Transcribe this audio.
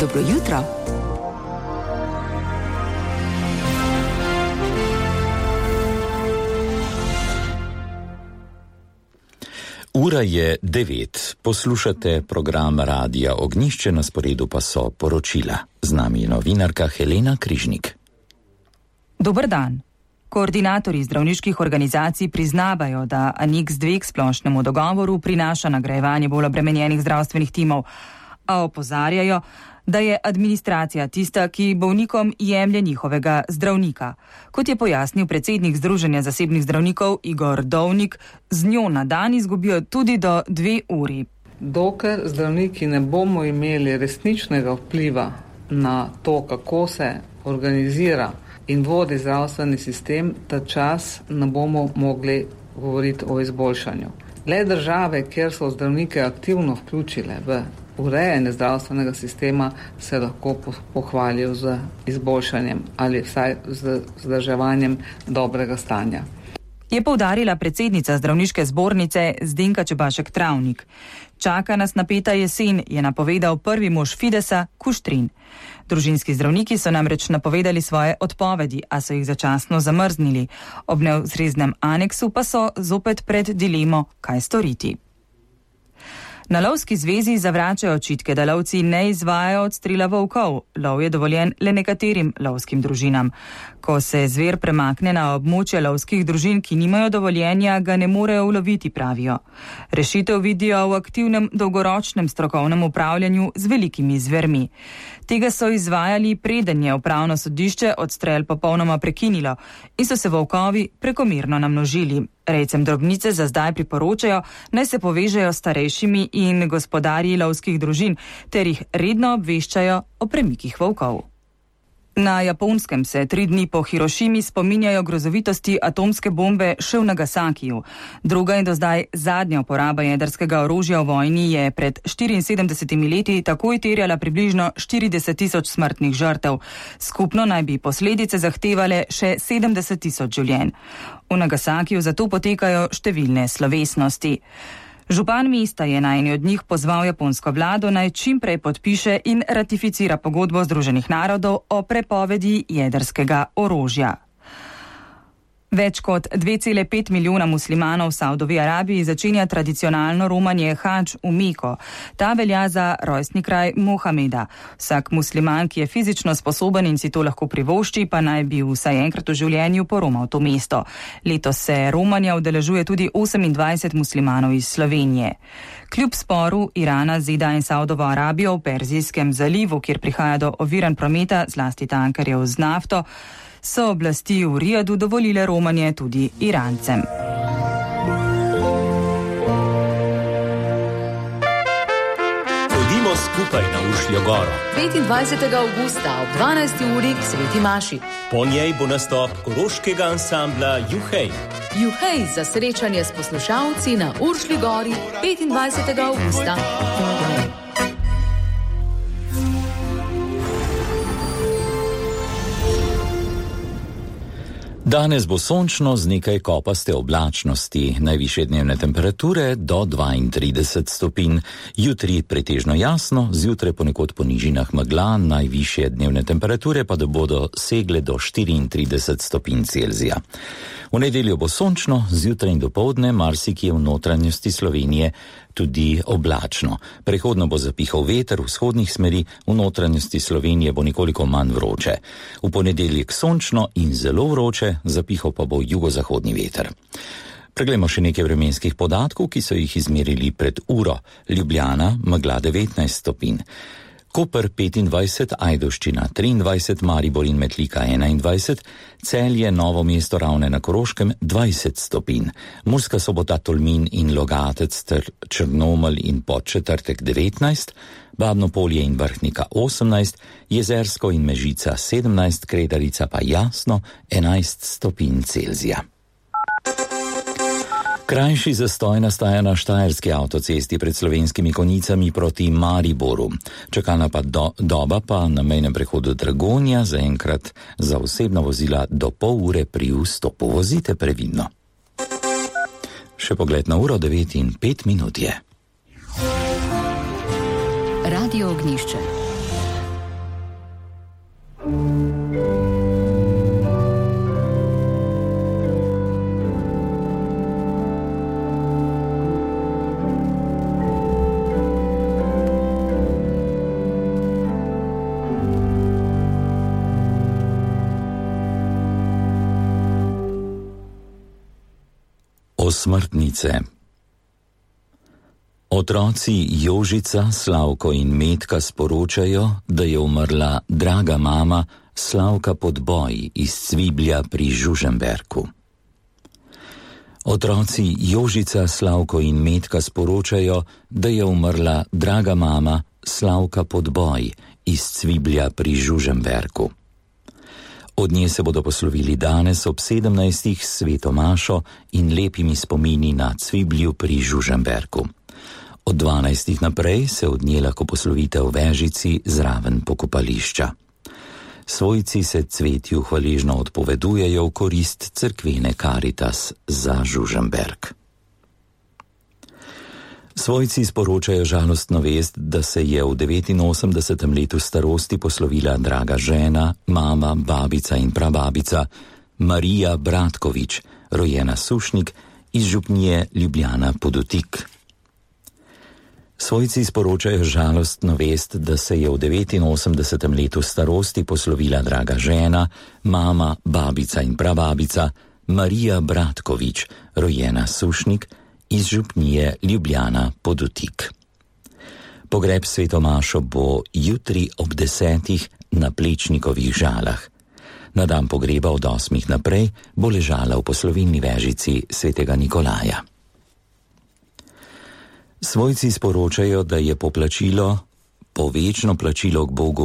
Dobro jutro. Ura je 9. Poslušate program Radija Ognjišče, na sporedu pa so poročila. Z nami je novinarka Helena Križnik. Dober dan. Koordinatorji zdravniških organizacij priznavajo, da Aneks 2 k splošnemu dogovoru prinaša nagrajevanje bolj obremenjenih zdravstvenih timov, a opozarjajo, da je administracija tista, ki bolnikom jemlje njihovega zdravnika. Kot je pojasnil predsednik Združenja zasebnih zdravnikov Igor Dovnik, z njo na dan izgubijo tudi do 2 uri. Dokler zdravniki ne bomo imeli resničnega vpliva na to, kako se organizira in vodi zdravstveni sistem, ta čas ne bomo mogli govoriti o izboljšanju. Le države, kjer so zdravnike aktivno vključile v urejanje zdravstvenega sistema, se lahko pohvalijo z izboljšanjem ali vsaj z vzdrževanjem dobrega stanja. Je poudarila predsednica zdravniške zbornice Zdenka Čebašek-Travnik. Čaka nas napeta jesen, je napovedal prvi mož Fidesa Kuštrin. Družinski zdravniki so namreč napovedali svoje odpovedi, a so jih začasno zamrznili. Ob neustreznem aneksu pa so zopet pred dilemo, kaj storiti. Na lovski zvezi zavračajo očitke, da lovci ne izvajajo odstrela volkov. Lov je dovoljen le nekaterim lovskim družinam. Ko se zver premakne na območje lovskih družin, ki nimajo dovoljenja, ga ne morejo uloviti, pravijo. Rešitev vidijo v aktivnem dolgoročnem strokovnem upravljanju z velikimi zvermi. Tega so izvajali, preden je upravno sodišče odstrel popolnoma prekinilo in so se volkovi prekomerno namnožili. Rejcem drobnice za zdaj priporočajo, naj se povežejo s starejšimi in gospodarji lovskih družin, ter jih redno obveščajo o premikih volkov. Na Japonskem se 3 dni po Hirošimi spominjajo grozovitosti atomske bombe še v Nagasakiju. Druga in do zdaj zadnja uporaba jedrskega orožja v vojni je pred 74 leti takoj terjala približno 40.000 smrtnih žrtev. Skupno naj bi posledice zahtevale še 70.000 življenj. V Nagasakiju zato potekajo številne slovesnosti. Župan mesta je na eni od njih pozval japonsko vlado, naj čimprej podpiše in ratificira pogodbo Združenih narodov o prepovedi jedrskega orožja. Več kot 2,5 milijona muslimanov v Saudovi Arabiji začenja tradicionalno romanje hadž v Meko. Ta velja za rojstni kraj Mohameda. Vsak musliman, ki je fizično sposoben in si to lahko privošči, pa naj bi vsaj enkrat v življenju poromal to mesto. Letos se romanja udeležuje tudi 28 muslimanov iz Slovenije. Kljub sporu Irana, ZDA in Saudovo Arabijo v Perzijskem zalivu, kjer prihaja do oviranj prometa, zlasti tankerjev z nafto, so oblasti v Rijadu dovolile romanje tudi Irancem. Pojdimo skupaj na Ušljo goro. 25. avgusta ob 12. uri k Sveti Maši. Po njej bo nastop koroškega ansambla Juhej. Juhej za srečanje s poslušalci na Uršlji gori 25. avgusta. Danes bo sončno z nekaj kopaste oblačnosti, najvišje dnevne temperature do 32 stopinj. Jutri pretežno jasno, zjutraj ponekod po nižinah megla, najvišje dnevne temperature pa da bodo segle do 34 stopinj Celzija. V nedeljo bo sončno, zjutraj in dopoldne marsikje v notranjosti Slovenije tudi oblačno. Prehodno bo zapihal veter v vzhodnih smeri, v notranjosti Slovenije bo nekoliko manj vroče. V ponedeljek sončno in zelo vroče, zapihal pa bo jugozahodni veter. Preglejmo še nekaj vremenskih podatkov, ki so jih izmerili pred uro. Ljubljana, megla 19 stopinj. Koper 25, Ajdovščina 23, Maribor in Metlika 21, Celje, Novo mesto, Ravne na Koroškem 20 stopinj, Murska Sobota, Tolmin in Logatec ter Črnomelj in Podčetrtek 19, Babno Polje in Vrhnika 18, Jezersko in Mežica 17, Kredarica pa jasno 11 stopinj Celzija. Krajši zastoj nastaja na štajerski avtocesti pred Slovenskimi Konjicami proti Mariboru. Čakalna doba pa na mejnem prehodu Dragonja zaenkrat za osebna vozila do pol ure pri vstopu. Vozite previdno. Še pogled na uro, 9:05 je. Radio Ognjišče. Posmrtnice. Otroci Jožica, Slavko in Metka sporočajo, da je umrla draga mama Slavka Podboj iz Cviblja pri Žužemberku. Otroci Jožica, Slavko in Metka sporočajo, da je umrla draga mama Slavka Podboj iz Cviblja pri Žužemberku. Od nje se bodo poslovili danes ob 17. s sveto mašo in lepimi spomini na Cviblju pri Žužemberku. Od 12. naprej se od nje lahko poslovite v Vežici zraven pokopališča. Svojci se Cvetju hvaležno odpovedujejo v korist cerkvene Karitas za Žužemberk. Svojci sporočajo žalostno vest, da se je v 89. letu starosti poslovila draga žena, mama, babica in prababica Marija Bratkovič, rojena Sušnik iz župnije Ljubljana Podutik. Svojci sporočajo žalostno vest, da se je v 89. letu starosti poslovila draga žena, mama, babica in prababica Marija Bratkovič, rojena Sušnik iz župnije Ljubljana Podutik. Pogreb sveto mašo bo jutri ob 10. na Plečnikovih Žalah. Na dan pogreba od 8. naprej bo ležala v poslovilni Vežici svetega Nikolaja. Svojci sporočajo, da je poplačilo, povečno plačilo k Bogu